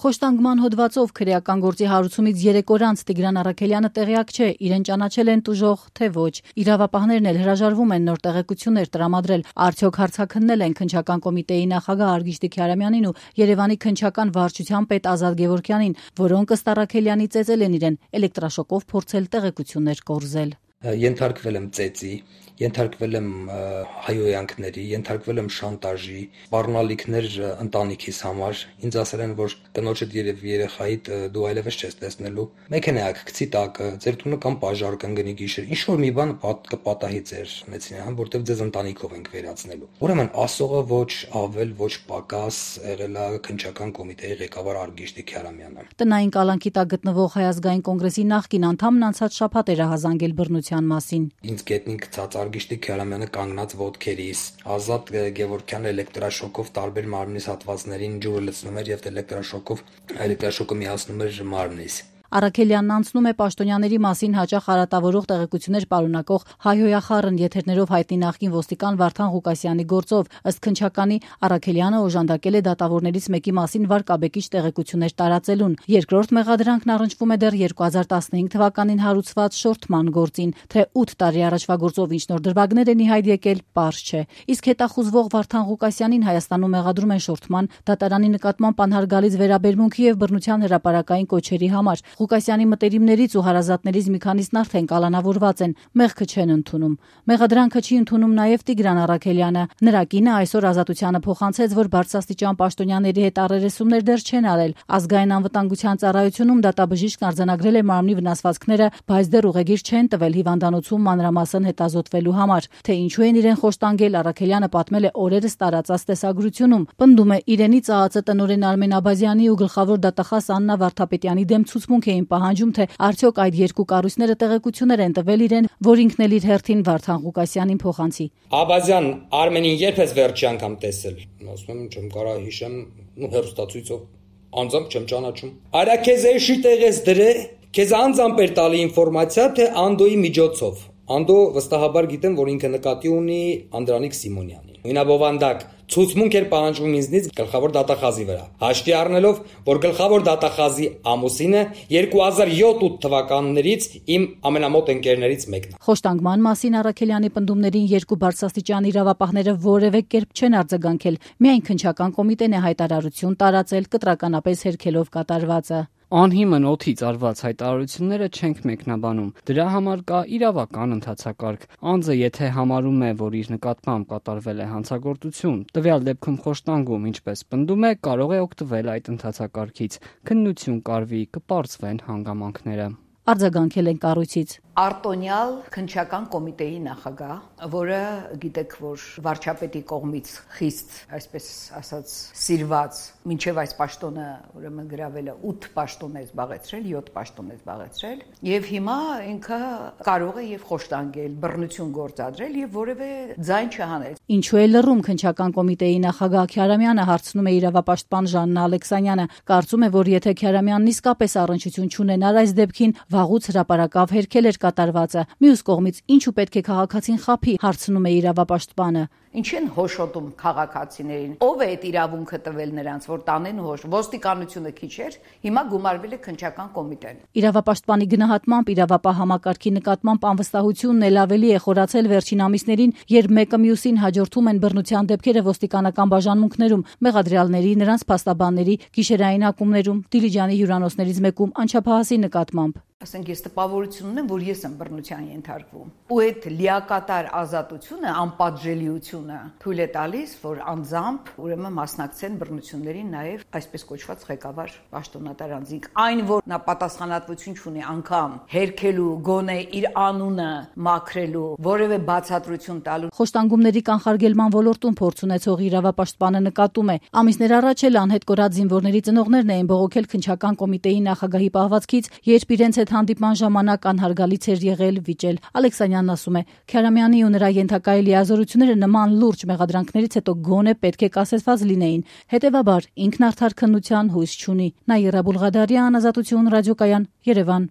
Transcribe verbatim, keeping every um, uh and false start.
Խոշտանգման հոդվածով քրեական գործի հարուցումից երեք օր անց Տիգրան Առաքելյանը տեղյակ չէ, իրեն ճանաչել են տուժող, թե ոչ։ Իրավապահներն էլ հրաժարվում են նոր տեղեկություններ տրամադրել, արդյոք հարցաքննել են քննչական կոմիտեի նախագահ Արգիշտի Քյարամյանին ու Երևանի քննչական վարչության պետ Ազատ Գևորգյանին, որոնք ըստ Առաքելյանի ծեծել են իրեն էլեկտրաշոկով փորձել տեղեկություններ կորզել։ Ենթարկվել եմ ծեծի, ենթարկվել եմ հայոյանքների, ենթարկվել եմ շանտաժի, սպառնալիքներ ընտանիքիս համար, ինձ ասել են, որ տնոջդ եւ երեխայիդ դու այլևս չես տեսնելու, մեքենայակ գցի տակը, ձեր տունը կամ պաժար կընկնի գիշեր, ինչ որ մի բան կպատահի ձեր ունեցին, որտեվ ձեզ ընտանիքով ենք վերացնելու։ Ուրեմն ասողը ոչ ավել, ոչ պակաս եղել է քննչական կոմիտեի ղեկավար Արգիշտի Քյարամյանը։ Տնային կալանքի տակ գտնվող Հայ ազգային կոնգրեսի նախկին անդամն անցած շաբաթ էր հազանգել բռնության մասին։ Ինձ գետնին գցած Արգիշտի Քյարամյանը կանգնած ոտքերիս, Ազատ Գևորգյանը էլեկտրաշոկով տարբեր մարմնիս հատվածներին ջուրը լցնում էր եւ էլեկտրաշոկով էլեկտրաշոկը միացնում էր մարմնիս։ Առաքելյանն անցնում է պաշտոնյաների մասին հաճախ արատավորող տեղեկություններ պարունակող հայհոյախառն եթերներով հայտնի նախկին ոստիկան Վարդան Ղուկասյանի գործով, ըստ քննչականի Առաքելյանը օժանդակել է դատավորներից մեկի մասին վարկաբեկիչ տեղեկություններ տարածելուն։ Երկրորդ մեղադրանքն առնչվում է դեռ երկու հազար տասնհինգ թվականին հարուցված շորթման գործին, թե ութ տարի առաջվա գործով ինչ նոր դրվագներ են ի հայտ եկել, պարզ չէ։ Իսկ հետախուզվող Վարդան Ղուկասյանին Հայաստանում մեղադրում են շորթման, դատարանի նկատմամբ անհարգալից վերաբերմունքի եւ բռնության հրապարակային կոչերի համար։ Ղուկասյանի մտերիմներից ու հարազատներից մի քանիսն արդեն կալանավորված են, մեղքը չեն ընդունում։ Մեղադրանքը չի ընդունում նաև Տիգրան Առաքելյանը։ Նրա կինը այսօր Ազատությանը փոխանցեց, որ բարձրաստիճան պաշտոնյաների հետ առերեսումներ դեռ չեն արել։ Ազգային անվտանգության ծառայությունում դատաբժիշկն արձանագրել է մարմնի վնասվածքները, բայց դեռ ուղեգիր չեն տվել հիվանդանոցում մանրամասն հետազոտվելու համար։ Թե ինչու են իրեն խոշտանգել, Առաքելյանը պատմել է օրերս տարածած տեսագրությունում։ Պնդում է, իրենից ԱԱԾ տնօրեն Արմեն Աբազյանի ու գլխավոր դատախազ Աննա Վարդապետյանի դեմ ցուցմունք էին պահանջում, թե արդյոք այդ երկու կառույցները տեղեկություններ են տվել իրեն, որ ինքն էլ իր հերթին Վարդան Ղուկասյանին փոխանցի։ Աբազյան Արմենին երբ ես վերջի անգամ տեսել։ Ասում եմ, չեմ կարող հիշեմ, ու հերոստացույցով անձամբ չեմ ճանաչում։ Արա քեզ էշի տեղես դրե, քեզ անձամբ էր տալի ինֆորմացիա, թե Անդոյի միջոցով։ Անդո վստահաբար գիտեմ, որ ինքը նկատի ունի Անդրանիկ Սիմոնյանին։ Նույնաբովանդակ ցուցմունք էր պահանջում ինձնից գլխավոր դատախազի վրա։ Հաշվի առնելով, որ գլխավոր դատախազի ամուսինը երկու հազար յոթ թվականներից իմ ամենամոտ ընկերներից մեկն է։ Խոշտանգման մասին Առաքելյանի պնդումներին երկու բարձրաստիճան իրավապահները որևէ կերպ չեն արձագանքել։ Միայն քննչական կոմիտեն է հայտարարություն տարածել, կտրականապես հերքելով կատարվածը։ Անհիմն օդից արված հայտարարությունները չենք մեկնաբանում։ Դրա համար կա իրավական ընթացակարգ։ Անձը եթե համարում է, որ իր նկատմամբ կատարվել է հանցագործություն, տվյալ դեպքում խոշտանգում, ինչպես պնդում է, կարող է օգտվել այդ ընթացակարգից։ Քննություն կարվի, կպարզվեն հանգամանքները։ Արձագանքել են կառույցից։ Արտոնյալ քննչական կոմիտեի նախագահ, որը գիտեք, որ վարչապետի կողմից խիստ, այսպես ասած, սիրված, մինչև այս պաշտոնը ուրեմն գրավելը ութ պաշտոն է զբաղեցրել, յոթ պաշտոն է զբաղեցրել, եւ հիմա ինքը կարող է եւ խոշտանգել, բռնություն գործադրել եւ որևէ ձայն չհանել։ Ինչու է լռում քննչական կոմիտեի նախագահ Քյարամյանը, հարցնում է իրավապաշտպան Ժաննա Ալեքսանյանը։ Կարծում է, որ եթե Քյարամյանն իսկապես առնչություն չունենար այս դեպքին, վաղուց հրապարակավ հերքել էր կատարվածը։ Մյուս կողմից ինչու պետք է քաղաքացին խաբի, հարցնում է իրավապաշտպանը։ Ինչ են հոշոտում քաղաքացիներին։ Ով է այդ իրավունքը տվել նրանց, որ տանեն հոշ։ Ոստիկանությունը քիչ էր, հիմա գումարվել է քննչական կոմիտեն։ Իրավապաշտպանի գնահատմամբ իրավապահ համակարգի նկատմամբ անվստահությունն էլ ավելի է խորացել վերջին ամիսներին, երբ մեկը մյուսին հաջորդում են բռնության դեպքերը ոստիկանական բաժանմունքներում, մեղադրյալների, նրանց փաստաբանների, գիշերային ակումբներում, Դիլիջանի հյուրանոցներից մեկում անչափահասի նկատմամբ։ Ասենք ես տպավորություն ունեմ, որ ես եմ բռնության ենթարկվում։ Ու այդ լիակատար ազատությունը, անպատժելիությունը թույլ է տալիս, որ անձամբ ուրեմն մասնակցեն բռնություններին նաև այսպես կոչված ղեկավար պաշտոնատար անձինք։ Այն, որ նա պատասխանատվություն չունի անգամ հերքելու, գոնե իր անունը մաքրելու, որևէ բացատրություն տալու։ Խոշտանգումների կանխարգելման ոլորտում փորձ ունեցող իրավապաշտպանը նկատում է, ամիսներ առաջ էլ անհետ կորած զինվորների ծնողներն էին բողոքել քննչական կոմիտեի նախագահի պահվածքից, երբ իրենց հետ հանդիպման ժամանակ անհարգալից էր եղել վիճել։ Ալեքսանյանն ասում է, Քյարամյանի ու նրա ենթակայի լիազորությունները նման լուրջ մեղադրանքներից հետո գոնե պետք է կասեցված լինեին։ Հետևաբար ինքն արդար քննության հույս չունի։ Նաիրա Բուլղադարյան, Ազատություն ռադիոկայան, Երևան։